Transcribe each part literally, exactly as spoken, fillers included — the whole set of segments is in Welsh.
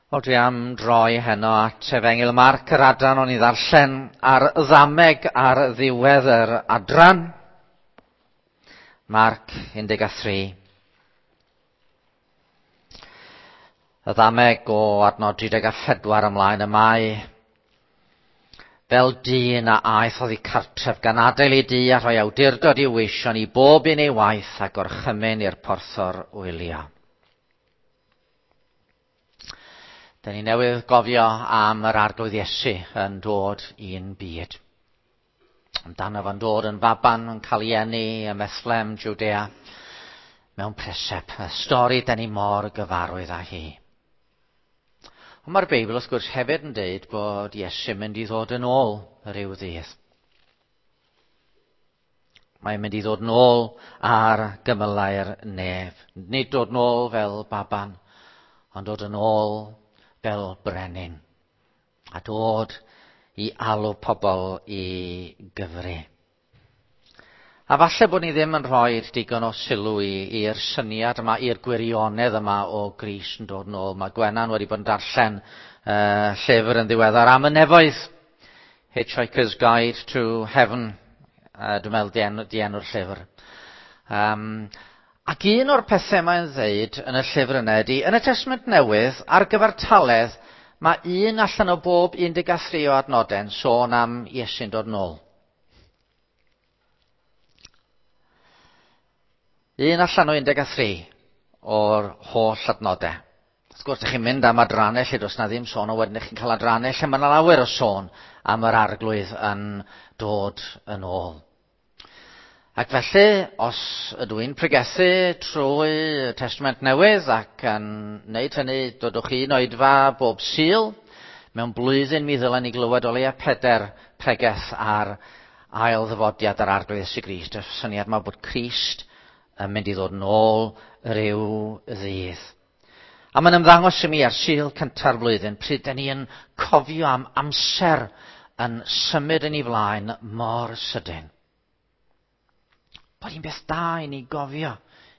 Wel, dwi am droi heno at Efengyl Marc, yr adran o'n i ddarllen ar ddameg ar ddiwedd yr adran. Marc un deg tri. Y ddameg o adnod tri deg a phedwar ymlaen y mae fel dyn a aeth oddi cartref gan adael ei dŷ a rhoi awdurdod i'w weision i bob un ei waith a gorchymyn i'r porthor wylio. Da ni newydd gofio am yr Arglwydd Iesu yn dod i'n byd. Amdano fo'n dod yn faban, yn cael ei eni ym Methlehem, Judea, mewn preseb. Y stori da ni mor gyfarwydd â hi. Ond mae'r Beibl wrth gwrs hefyd yn deud bod Iesu'n mynd i ddod yn ôl rhyw ddydd. Mae'n mynd i ddod yn ôl ar gymylau'r nef. Nid dod yn ôl fel baban, ond dod yn ôl fel brenin, a dod i alw pobl i gyfri. A falle bod ni ddim yn rhoi digon o sylw i'r syniad yma, i'r gwirionedd yma o Grist yn dod nôl. Mae Gwenan wedi bod yn darllen uh, llyfr yn ddiweddar am y nefoedd. Hitchhiker's Guide to Heaven, uh, dwi'n meddwl di, enw, di enw'r llyfr. Um, Ac un o'r pethau mae'n ddeud yn y llyfr yna ydy, yn y Testament Newydd, ar gyfartaledd, mae un allan o bob un deg tri o adnodau'n sôn am Iesu'n dod nôl. Un allan o un deg tri o'r holl adnodau. Wrth gwrs, ydych chi'n mynd am adrannau lle does na ddim sôn, o wedyn ydych chi'n cael adrannau lle mae yna lawer o sôn am yr Arglwydd yn dod yn ôl. Ac felly, os ydw i'n pregethu trwy y Testament Newydd ac yn wneud hynny, dodwch chi'n oedfa bob Sul, mewn blwyddyn mi ddylen ni glywed o leia peder pregeth ar ail ddyfodiad yr Arglwydd Iesu Grist. Y syniad yma bod Crist yn mynd i ddod yn ôl rhyw ddydd. A mae'n ymddangos i mi ar Sul cynta'r flwyddyn, pryd dan ni yn cofio am amser yn symud yn ei flaen mor sydyn. Bod hi'n beth da i ni gofio.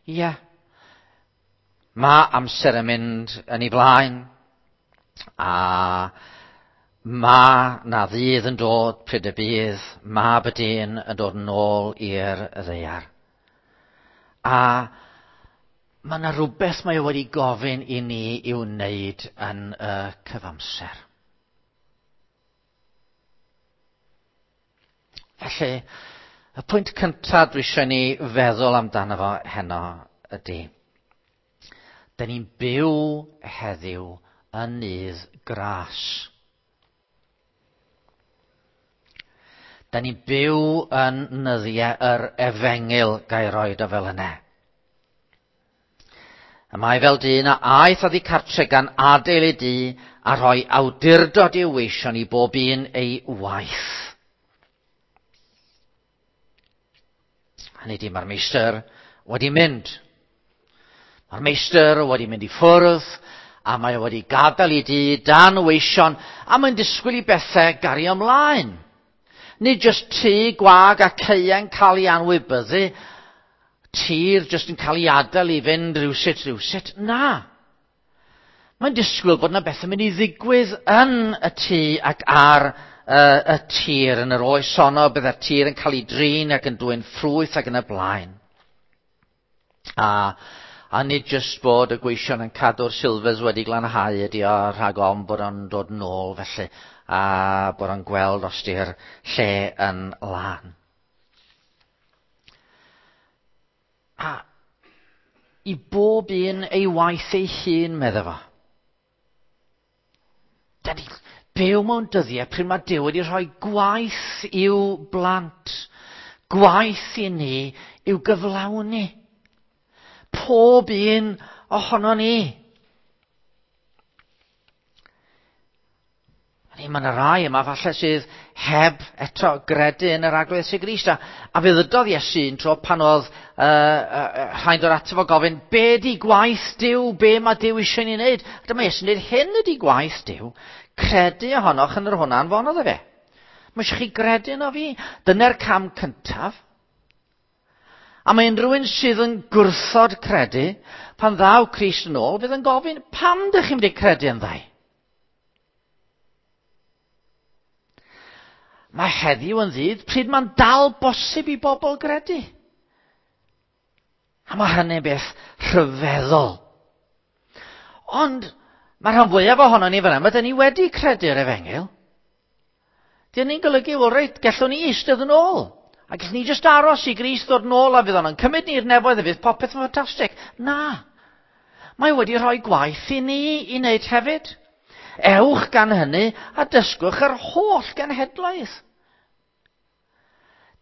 Ie. Yeah. Mae amser yn mynd yn ei flaen. A mae na ddydd yn dod pryd y bydd Mab y Dyn yn dod yn ôl i'r ddaear. A mae yna rhywbeth mae o wedi gofyn i ni i'w wneud yn y cyfamser. Felly, y pwynt cyntaf dwi eisiau ni feddwl amdano fo heno ydy, da ni'n byw heddiw yn nydd gras. Da ni'n byw yn nyddiau yr efengyl ga'i roed o fel yna. Y mae fel dyn a aeth oddi cartre gan adael ei dŷ a rhoi awdurdod i'w weision i bob un ei waith. Hynny ydi, mae'r meistr wedi mynd. Mae'r meistr wedi mynd i ffwrdd, a mae o wedi gadael i dŷ dan weision, a mae'n disgwyl i bethau gario ymlaen. Nid jyst tŷ gwag a caeau'n cael ei anwybyddu, tir jyst yn cael ei adael i fynd rhywsut, rhywsut. Na. Mae'n disgwyl bod yna bethau'n mynd i ddigwydd yn y tŷ ac ar y tir yn yr oes honno, bydde'r tir yn cael ei drin ac yn dwyn ffrwyth ac yn y blaen. A, a nid jyst bod y gweision yn cadw'r silfers wedi glanhau ydi o rhag ofn bod o'n dod yn ôl felly, a bod o'n gweld os di'r lle yn lân. A i bob un ei waith ei hun, medda fo. Da ni byw mewn dyddiau pryd mae Duw wedi rhoi gwaith i'w blant, gwaith i ni i'w gyflawni. Pob un ohono ni. Mae yna rai yma falle sydd heb eto gredu yn yr Arglwydd Iesu Grist. A, a fe ddydodd Iesu un tro pan oedd uh, uh, rhaid o'r ato fo gofyn, be di gwaith Duw, be mae Duw eisiau ni wneud? A dyma Iesu'n dweud, hyn ydi gwaith Duw, credu ohonoch yn yr hwnna anfonodd e fe. Mae eisiau chi gredu yno fi. Dyna'r cam cyntaf. A mae unrhyw un sydd yn gwrthod credu, pan ddaw Crist yn ôl, fydd yn gofyn, pam dych chi'n mynd i credu yn ddau? Mae heddiw yn ddydd pryd mae'n dal bosib i bobl gredu. A mae hynny'n beth rhyfeddol. Ond mae rhan fwyaf ohono ni fan yma, dyn ni wedi credu'r efengyl. Dyn ni'n golygu, wel reit, gallwn ni eistedd yn ôl. A gallwn ni jyst aros i Grist ddod yn ôl a fydd o'n cymryd ni'r nefoedd a fydd popeth yn ffantastig. Na. Mae wedi rhoi gwaith i ni i wneud hefyd. Ewch gan hynny a dysgwch yr holl genhedlaeth.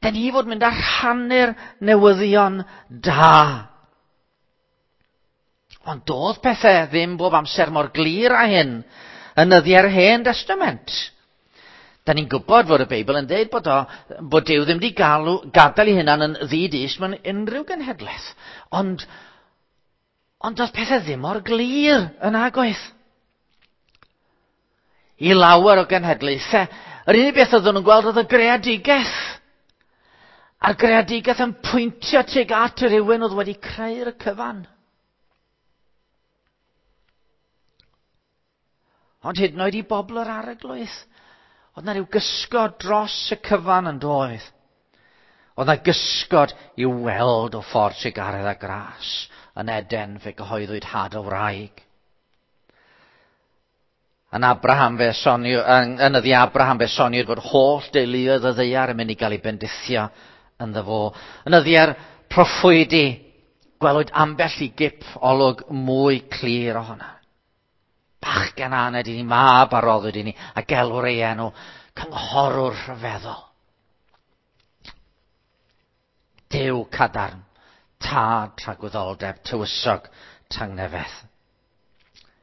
Dyn ni fod mynd â rhannu'r newyddion da. Ond doedd pethau ddim bob amser mor glir â hyn yn nyddiau'r Hen Destament. Da ni'n gwybod fod y Beibl yn dweud bod, o, bod Duw ddim wedi galw, gadael ei hunan yn ddi-dyst mewn unrhyw genhedlaeth. Ond, ond doedd pethau ddim mor glir yn agoedd. I lawer o genhedlaethau, yr unig beth oedden nhw'n gweld oedd y greadigaeth. A'r greadigaeth yn pwyntio tuag at yr rhywun oedd wedi creu'r cyfan. Ond hyd yn oed i bobl yr Arglwydd, oedd na rhyw gysgod dros y cyfan yn doedd. Oedd na gysgod i'w weld o ffordd trugaredd a gras yn Eden fe gyhoeddwyd had o wraig. Yn Abraham fe soniw, yn, yn yddi Abraham fe soniwyd fod holl deuluoedd y ddaear yn mynd i gael ei bendithio ynddo fo. Yn yddiau'r proffwydi, gwelwyd ambell i gip olwg mwy clir ohono. Bachgen aned i ni, mab a roddwyd i ni, a gelwr ei enw, cynghorwr rhyfeddol. Duw cadarn, tad tragwyddoldeb, tywysog tangnefedd.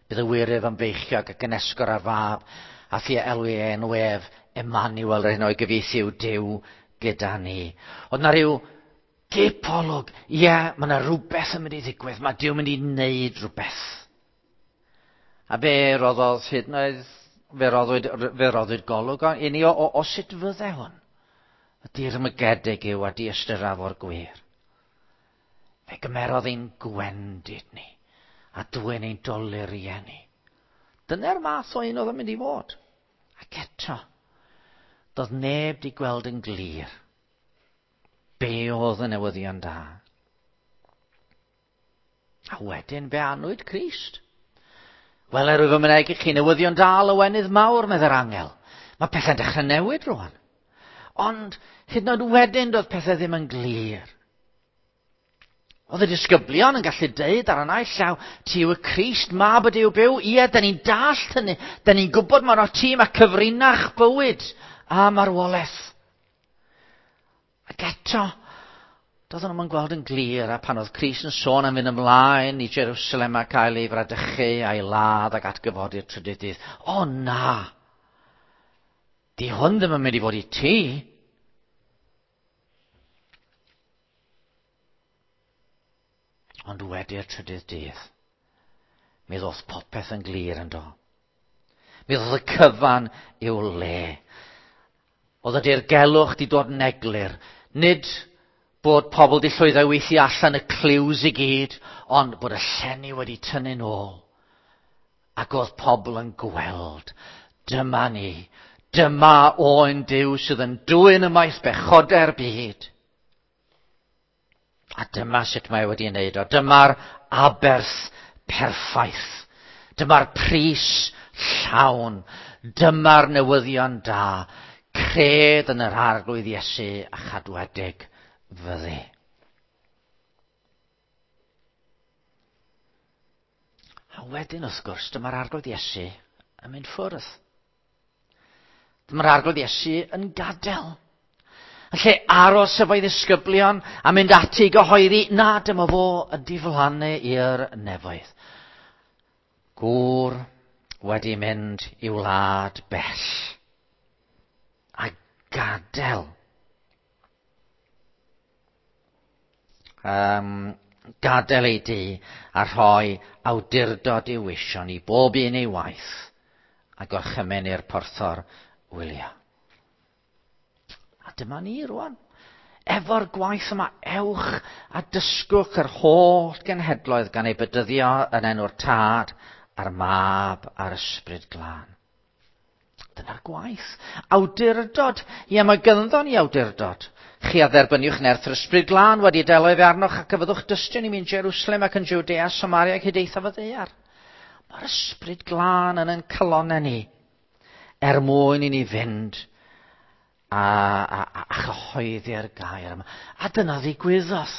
Bydd y wyryf yn feichiog ac yn esgor ar fab, a thi elw ei enw ef, Emmanuel, yr hyn o'i gyfieithu yw Duw gyda ni. Oedd na rhyw gipolwg, ie, mae yna rhywbeth yn mynd i ddigwydd, mae Duw yn mynd i wneud rhywbeth. A fe roddodd hyd yn oed, fe roddwyd, fe roddwyd golwg i ni o, o, o sut fydde hwn. Y dirmygedig yw a diystyraf o'r gwir. Fe gymerodd ein gwendid ni, a dwyn ein doluriau ni. Dyna'r math o un oedd yn mynd i fod. Ac eto, doedd neb di gweld yn glir be oedd y newyddion da. A wedyn fe anwyd Crist. Wel, er wyf yn mynegi chi newyddion da lawenydd mawr, meddai'r angel. Mae pethau'n dechrau newid rwan. Ond hyd yn oed wedyn doedd pethau ddim yn glir. Oedd y disgyblion yn gallu deud ar y naill llaw, ti yw y Crist, mab y Duw byw. Ie, da ni'n dallt hynny. Da ni'n gwybod mae yno ti, mae cyfrinach bywyd a marwolaeth. Ac eto, doedden nhw'n gweld yn glir, a pan oedd Crist yn sôn am fynd ymlaen i Jerusalem a cael ei fradychu a'i ladd ac atgyfodi'r trydydd dydd. O na! Di hwn ddim yn mynd i fod i ti. Ond wedi'r trydydd dydd, mi ddoth popeth yn glir yn do. Mi ddoth y cyfan i'w le. Oedd y dirgelwch di dod yn eglur. Nid bod pobl di llwyddo i weithio allan y clues i gyd, ond bod y llenni wedi tynnu nôl. Ac oedd pobl yn gweld, dyma ni, dyma oen Duw sydd yn dwyn ymaith bechodau'r byd. A dyma sut mae wedi wneud o. Dyma'r aberth perffaith. Dyma'r pris llawn. Dyma'r newyddion da. Cred yn yr Arglwydd Iesu a chadwedig fyddi. A wedyn, wrth gwrs, dyma'r Arglwydd Iesu yn mynd ffwrdd. Dyma'r Arglwydd Iesu yn gadael. Yn lle aros efo'i ddisgyblion a mynd ati i gyhoeddi, na, dyma fo yn diflannu i'r nefoedd. Gŵr wedi mynd i wlad bell. A gadael. Um, gadael ei dŷ a rhoi awdurdod i'w weision i bob un ei waith a gorchymyn i'r porthor wylio. A dyma ni rwan. Efo'r gwaith yma, ewch a dysgwch yr holl genhedloedd gan ei bedyddio yn enw'r Tad a'r Mab a'r Ysbryd Glân. Dyna'r gwaith. Awdurdod. Ie, mae gynddon ni awdurdod. Chi a dderbyniwch nerth yr Ysbryd Glân wedi delo efe arnoch ac y fyddwch dystion i mi yn Jerusalem ac yn Judea, Samaria ac hyd eithaf y ddaear. Mae'r Ysbryd Glân yn ein calonnau ni er mwyn i ni fynd a, a, a, a chyhoeddi'r gair yma. A dyna ddigwyddodd.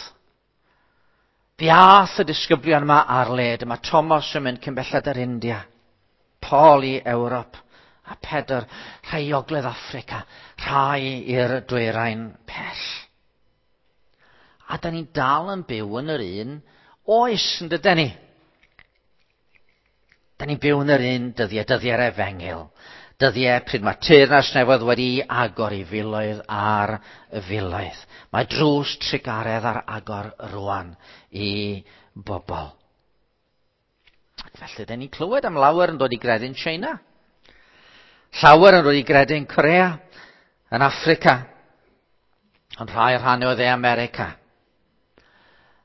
Fe ath y disgyblion yma ar led. Mae Thomas yn mynd cyn belled yr India, Paul i Ewrop, a Pedr, rhai i Ogledd Affrica, rhai i'r dwyrain pell. A da ni'n dal yn byw yn yr un oes, yn dydyn ni? Da ni'n byw yn yr un dyddiau, dyddiau'r efengyl. Dyddiau pryd mae teyrnas nefoedd wedi agor i filoedd ar filoedd. Mae drws trugaredd ar agor rwan i bobl. Ac felly, da ni'n clywed am lawer yn dod i gredu'n China. Llawer yn dod i gredu'n Corea, yn Affrica, ond rhai rhannau o dde America.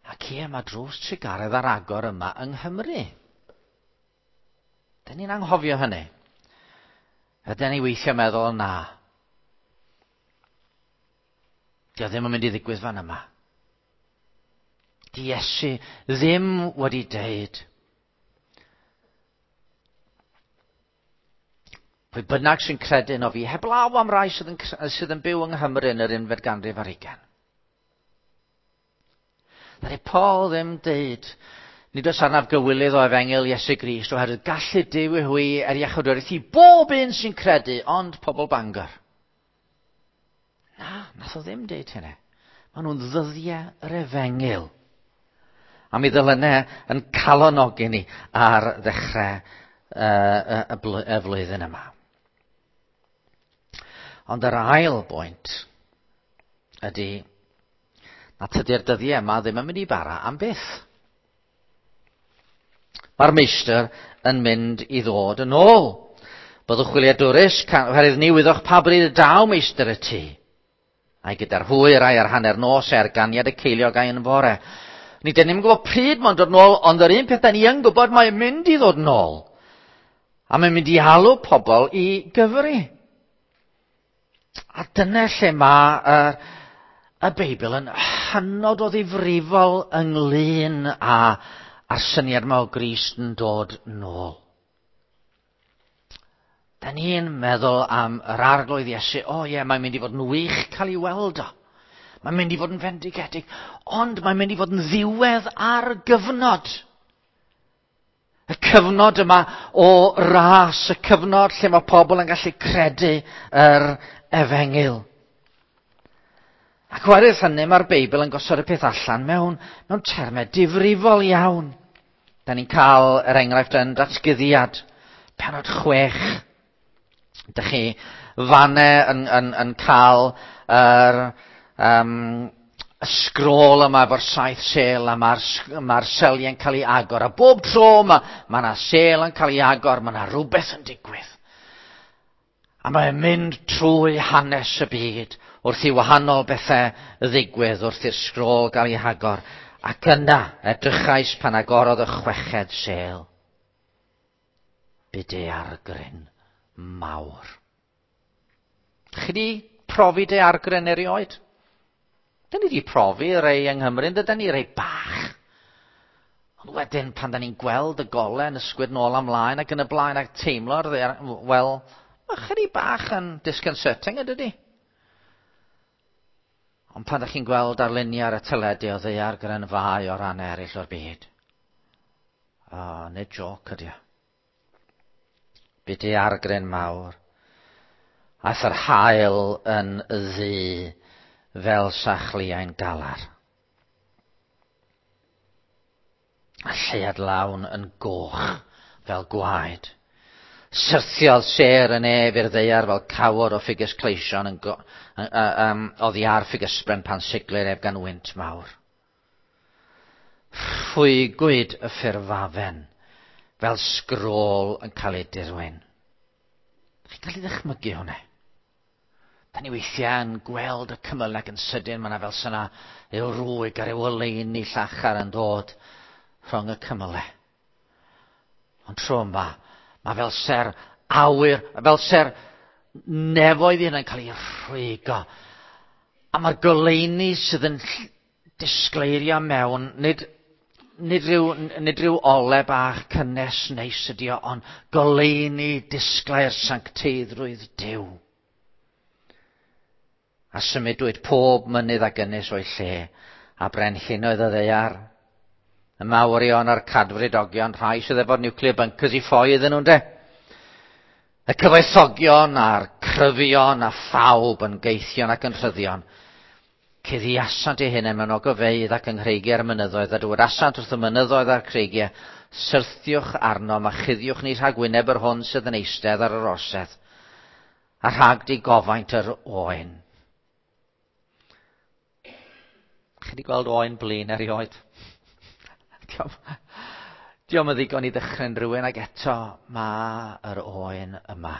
Ac ie, mae drws trugaredd ar agor yma yng Nghymru. Da ni'n anghofio hynny. Ydyn ni weithio meddwl, na. Dio ddim yn mynd i ddigwydd fan yma. Di Iesu ddim wedi deud. Pwy bynnag sy'n credu yno fi, heblaw am rai sydd yn, sydd yn byw yng Nghymru yn yr unfed ganrif ar hugain. Ddaru Paul ddim deud, nid oes arnaf gywilydd o efengyl Iesu Grist, oherwydd gallu Duw i hwy er iachawdwriaeth i bob un sy'n credu, ond pobl Bangor. Na, nath o ddim deud hynny. Maen nhw'n ddyddiau yr efengyl. A mi ddylynau yn calonogi ni ar ddechrau uh, y, y flwyddyn yma. Ond yr ail bwynt ydy na tydi'r dyddiau yma ddim yn mynd i bara am byth. Mae'r meistr yn mynd i ddod yn ôl. Byddwch wyliadwrus, oherwydd ni wyddoch pa bryd y daw meistr y tŷ. A'i gyda'r hwyr, a'i ar hanner nos, a'i ar ganiad y ceiliog a'i yn fore. Ni dyn ni'n gwybod pryd mae'n dod nôl, ond yr un peth da ni yn gwybod mae'n mynd i ddod nôl. A mae'n mynd i alw pobl i gyfri. A dyna lle mae uh, y Beibl yn hynod o ddifrifol ynglyn â a'r syniad yma o Grist yn dod nôl. Da ni'n meddwl am yr Arglwydd Iesu, o ie, mae'n mynd i fod yn wych cael ei weld o. Mae'n mynd i fod yn fendigedig, ond mae'n mynd i fod yn ddiwedd ar gyfnod. Y cyfnod yma o ras, y cyfnod lle mae pobl yn gallu credu yr efengyl. Ac oherwydd hynny, mae'r Beibl yn gosod y peth allan mewn, mewn termau difrifol iawn. Da ni'n cael yr enghraifft yn Datguddiad, pennod chwech. Dych chi fanne yn, yn, yn cael yr, um, y sgrôl yma efo'r saith sêl, a mae'r mae seliau'n cael ei agor. A bob tro mae ma yna sêl yn cael ei agor, mae yna rhywbeth yn digwydd. A mae'n mynd trwy hanes y byd wrth i wahanol bethau ddigwydd, wrth i'r sgrôl gael ei hagor. Ac yna, edrychais pan agorodd y chweched sêl. Bu daeargryn mawr. Chi di profi daeargryn erioed? Dyn ni di profi rei yng Nghymru, dydyn ni rei bach. Ond wedyn, pan da ni'n gweld y golau yn ysgwyd nôl ymlaen ac yn y blaen ac teimlo'r ddaear, wel, mae chydig bach yn disconcerting, ydydi? Ond pan ydych chi'n gweld arluniau ar y teledu o ddaeargryn fai o ran eraill o'r byd, o, nid joc ydy o. Bu daeargryn mawr. Aeth yr haul yn ddu fel sachliau'n galar. A lleuad lawn yn goch fel gwaed. Syrthiodd sêr y nef i'r ddaear fel cawod o ffigys cleision yn go, um, oddi ar ffigysbren pan siglir ef gan wynt mawr. Rhwygwyd y ffurfafen fel sgrôl yn cael ei dirwyn. Chi'n cael ei ddychmygu hwnna? Da ni weithiau yn gweld y cymylau ac yn sydyn, mae yna fel syna yw rwyg ar yw oleuni llachar yn dod rhwng y cymylau. Ond tro yma, mae fel ser awyr, fel ser nefoedd hyn yn cael ei rhwygo. A mae'r goleuni sydd yn disgleirio mewn, nid, nid, rhyw, nid rhyw ole bach cynnes neis ydi o, ond goleuni disglair sancteiddrwydd Duw. A symudwyd pob mynydd ac ynys o'i lle, a brenhinoedd y ddaear. Y mawrion a'r cadfridogion, rhai sydd efo'r nuclear bunkers i ffoi iddyn nhw'n de. Y cyfoethogion a'r cryfion a phawb yn geithion ac yn rhyddion. Cuddiasant eu hunain mewn ogofeydd ac yng nghreigiau'r mynyddoedd, a dywedasant wrth y mynyddoedd a'r creigiau, syrthiwch arnom a chuddiwch ni rhag wyneb yr hwn sydd yn eistedd ar yr orsedd, a rhag digofaint yr oen. Chi wedi gweld oen blin erioed? Diolch yn ddigon i ddychryn rhywun, ac eto mae yr oen yma.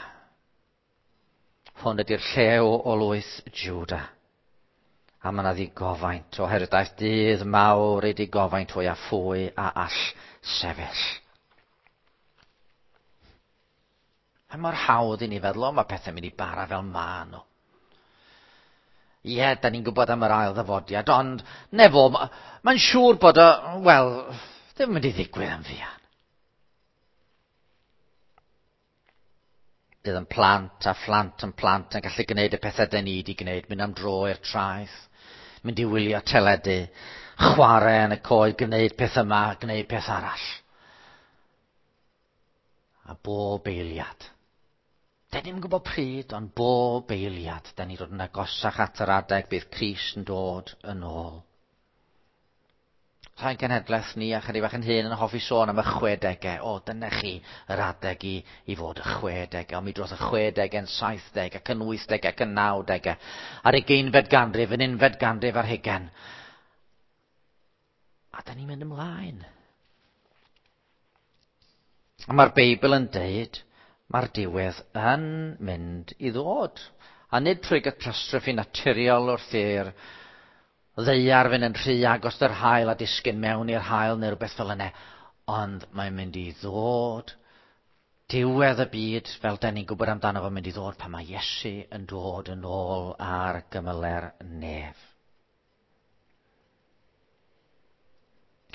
Hwn ydy'r llew o lwyth Juda. A mae yna ddigofaint, oherwydd daeth dydd mawr ei digofaint fwy a phwy a all sefyll. Mae mor hawdd i ni feddwl, o, mae pethau'n mynd i bara fel ma nhw. Ie, da ni'n gwybod am yr ail ddyfodiad, ond nefo, mae'n siŵr bod o, wel, ddim yn mynd i ddigwydd yn fuan. Bydd yn plant a phlant yn plant yn gallu gwneud y pethau da ni wedi gwneud, mynd am dro i'r traeth, mynd i wylio teledu, chwarae yn y coed, gwneud peth yma, gwneud peth arall. A bob eiliad. Da ni'n gwybod pryd, ond bob eiliad, da ni'n dod yn agosach at yr adeg bydd Crist yn dod yn ôl. Rhai genhedlaeth ni a chydig bach yn hyn yn hoffi sôn am y chwedegau. O, dyna chi yr adeg i, i fod y chwedegau. Ond mi drodd y chwedegau yn saithdeg ac yn wythdeg ac yn nawdegau. A'r ugeinfed ganrif, yn unfed ganrif ar hugain. A da ni'n mynd ymlaen. A mae'r Beibl yn deud, mae'r diwedd yn mynd i ddod. A nid trwy catastrophe naturiol wrth i'r ddaear fynd yn rhy agos yr haul a disgyn mewn i'r haul neu rhywbeth fel yna. Ond mae'n mynd i ddod. Diwedd y byd, fel da ni'n gwybod amdano fo'n mynd i ddod pan mae Iesu yn dod yn ôl ar gymyle'r nef.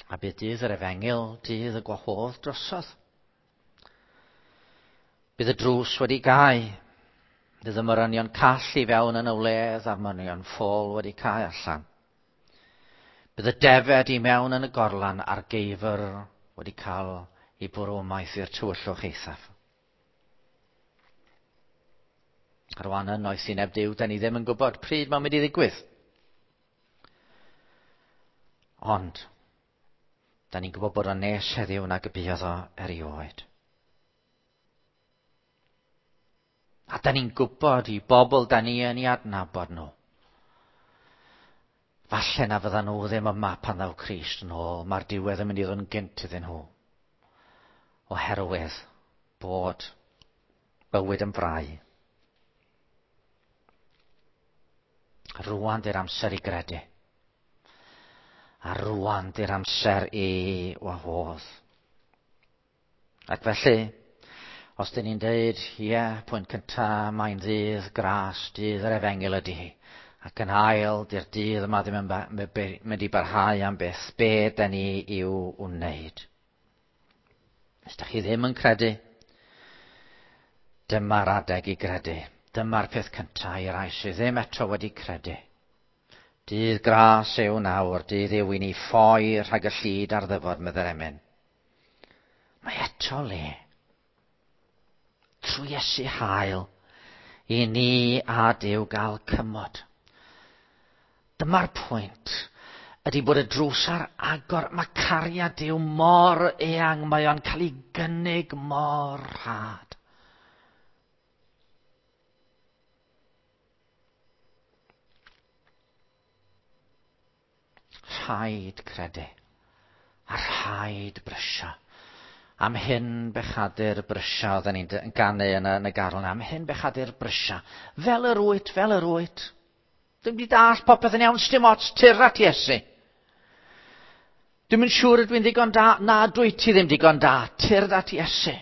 A bydd dydd yr efengyl, dydd y gwahodd drosodd. Bydd y drws wedi gau. Bydd y morynion call i fewn yn y wledd a'r morynion ffôl wedi cau allan. Bydd y defed i mewn yn y gorlan a'r geifr wedi cael ei bwrw ymaith i'r tywyllwch eithaf. A rwan yn noethineb Duw, da ni ddim yn gwybod pryd mae'n mynd i ddigwydd. Ond, da ni'n gwybod bod o'n nes heddiw nag y buodd o erioed. A da ni'n gwybod i bobl da ni yn ei adnabod nhw. Falle na fyddan nhw ddim yma pan ddaw Crist yn ôl. Mae'r diwedd yn mynd i ddod yn gynt iddyn nhw. Oherwydd bod bywyd yn frau. Rwan di'r amser i gredu. A rwan di'r amser i wahodd. Ac felly, os dyn ni'n deud, ie, yeah, pwynt cynta, mae'n ddydd gras, dydd yr efengyl ydy hi. Ac yn ail, di'r dydd yma ddim yn mynd i barhau am byth. Be da ni i'w wneud? Os da chi ddim yn credu, dyma'r adeg i gredu. Dyma'r peth cynta i rai sydd ddim eto wedi credu. Dydd gras yw nawr, dydd yw i ni ffoi rhag y llid ar ddyfod, meddai'r emyn. Mae eto le. Trwy Iesu hael, i ni a Duw gael cymod. Dyma'r pwynt, ydy bod y drws ar agor. Mae cariad Duw mor eang, mae o'n cael ei gynnig mor rhad. Rhaid credu, a rhaid brysio. Am hyn bechadur brysio, oedden ni'n ganu yn y, yn y garol yna. Am hyn bechadur brysio. Fel yr wyt, fel yr wyt. Dwi'm di dall popeth yn iawn, sdim ots, tyr at Iesu. Dwi'm yn siŵr ydw i'n ddigon da, na dwyt ti ddim digon da, tyr at Iesu.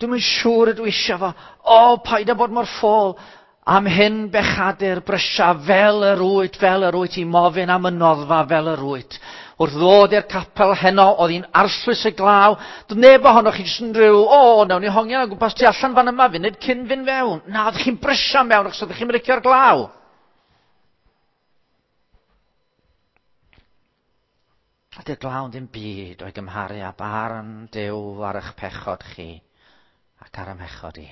Dwi'm yn siŵr ydw i eisiau fo. O, paid â bod mor ffôl. Am hyn bechadur brysia fel yr wyt, fel yr wyt, i mofyn am y noddfa fel yr wyt. Wrth ddod i'r capel heno, oedd hi'n arllwys y glaw. Doedd neb ohonoch chi jyst yn rhyw, o, nawn ni hongian o gwmpas tu allan fan yma funud cyn fynd fewn. Na, oeddech chi'n brysio mewn achos oeddech chi'n licio'r glaw. A dy'r glaw yn ddim byd o'i gymharu â barn Duw ar eich pechod chi ac ar 'y mhechod i.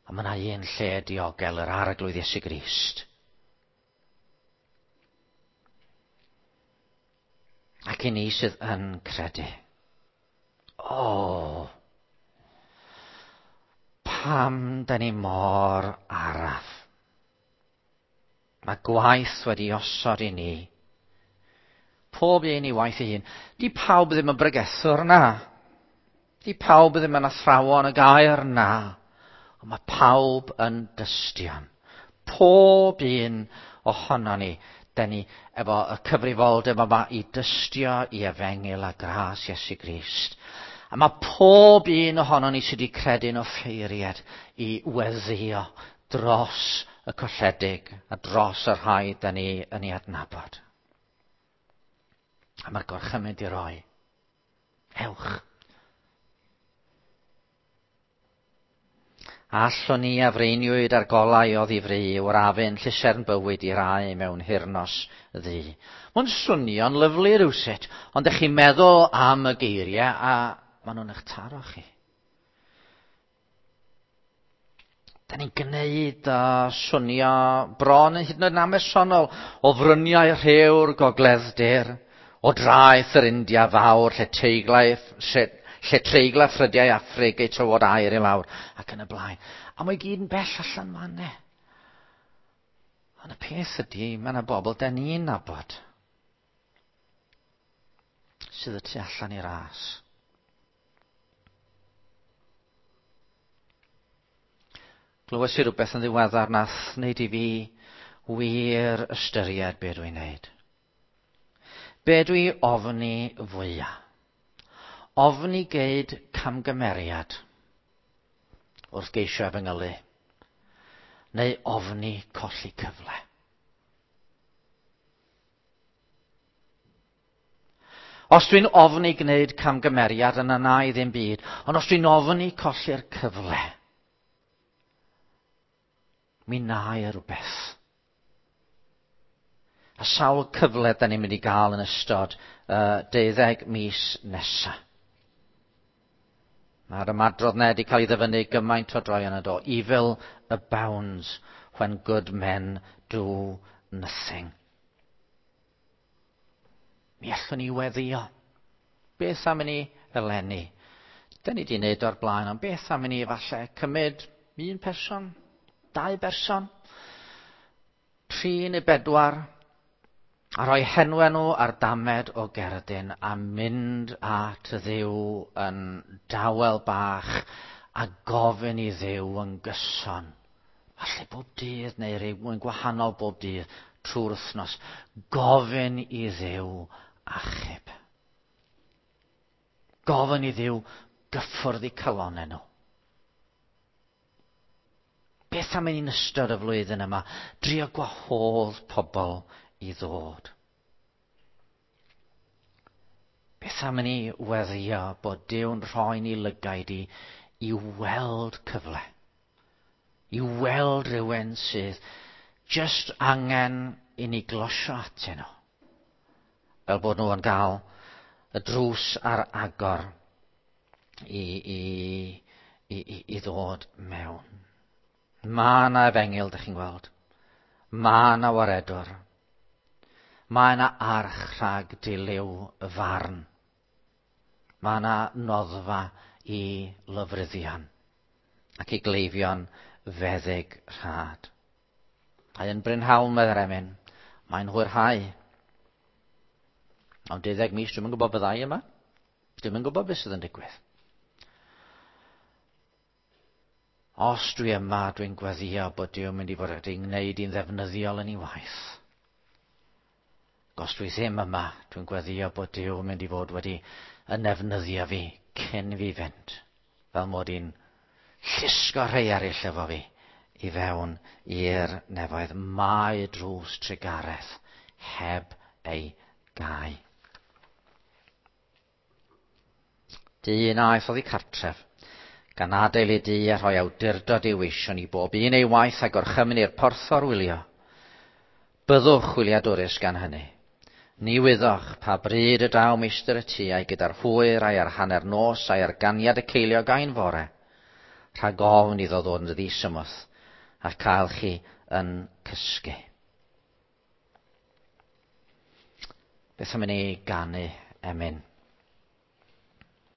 A mae yna un lle diogel, yr Arglwydd Iesu Grist. Ac i ni sydd yn credu. O, pam da ni mor araf? Mae gwaith wedi osod i ni. Pob un i waith ei hun. Di pawb ddim yn bregethwr na. Di pawb ddim yn athrawon y gair na. Ond mae pawb yn dystion. Pob un ohono ni, da ni efo y cyfrifoldeb yma i dystio i efengyl a gras Iesu Grist. A mae pob un ohono ni sydd wedi credu'n offeiriad i weddïo dros y colledig a dros y rhai da ni yn ei adnabod. A mae'r gorchymyn di roi. Ewch. Allwn ni afreiniwyd ar golau o ddifri o'r afyn llusern bywyd i rai mewn hirnos ddu. Mae'n swnio'n lyfli rywsut, ond ydych chi'n meddwl am y geiriau a maen nhw'n eich taro chi. Da ni'n gwneud a swnio bron yn hyd yn oed yn amesonol o fryniau rhew'r gogledd-dir, o draeth yr India fawr lle teiglau, lle, lle treigla ffrydiau Affrig eu tywod aer i lawr ac yn y blaen. A mae gyd yn bell allan fan 'na. Ond y peth ydy, mae yna bobl da ni'n nabod sydd y tu allan i'r ras. Glywes i rhywbeth yn ddiweddar nath wneud i fi wir ystyried be dwi'n neud. Be dwi ofni fwyaf? Ofni geid camgymeriad wrth geisio efengylu, neu ofni colli cyfle. Os dwi'n ofni gwneud camgymeriad, yna na i ddim byd, ond os dwi'n ofni colli'r cyfle, mi na i rhywbeth. A sawl cyfle da ni'n mynd i gael yn ystod uh, deuddeg mis nesaf. Mae'r ymadrodd 'na wedi cael ei ddyfynnu gymaint o droeon yn do. Evil abounds when good men do nothing. Mi allwn ni weddio. Beth am i ni eleni? Da ni wedi wneud o'r blaen, ond beth am i ni falle cymryd un person, dau berson, tri neu bedwar, a rhoi henwau nhw ar damed o gerdyn a mynd at Dduw yn dawel bach a gofyn i Dduw yn gyson. Falle bob dydd neu rhywun gwahanol bob dydd trwy'r wythnos. Gofyn i Dduw achub. Gofyn i Dduw gyffwrdd eu calonnau nhw. Beth am ein ystod y flwyddyn yma? Drio gwahodd pobl i ddod. Beth am i ni weddio bod Duw'n rhoi ni lygaid i i weld cyfle. I weld rhywun sydd just angen i ni glosio atyn nhw. Fel bod nhw yn gael y drws ar agor i, i, i, i, i ddod mewn. Mae yna efengyl, dych chi'n gweld. Mae yna waredwr. Mae yna arch rhag dilyw y farn. Mae yna noddfa i lofruddion ac i gleifion feddyg rhad. Mae yn brynhawn, meddai'r emyn. Mae'n hwyrhau. Ond deuddeg mis, dwi'm yn gwybod byddai yma. Dwi'm yn gwybod beth sydd yn digwydd. Os dwi yma, dwi'n gweddio bod Duw yn mynd i fod wedi gwneud i'n ddefnyddiol yn ei waith. Os dwi ddim yma, dwi'n gweddio bod Duw yn mynd i fod wedi yn nefnyddio fi cyn fi fynd. Fel mod i'n llusgo rhai eraill efo fi i fewn i'r nefoedd. Mae drws trugaredd heb ei gau. Dyn aeth oddi cartref, gan adael ei dŷ a rhoi awdurdod i'w weision i bob un ei waith a gorchymyn i'r porthor wylio. Byddwch wyliadwrus gan hynny. Ni wyddoch pa bryd y daw meistr y tŷ a'i gyda'r hwyr a'i ar hanner nos a'i ar ganiad y ceiliog ai'n fore. Rhag ofn iddo ddod yn ddisymwth a cael chi yn cysgu. Beth am i ni ganu emyn?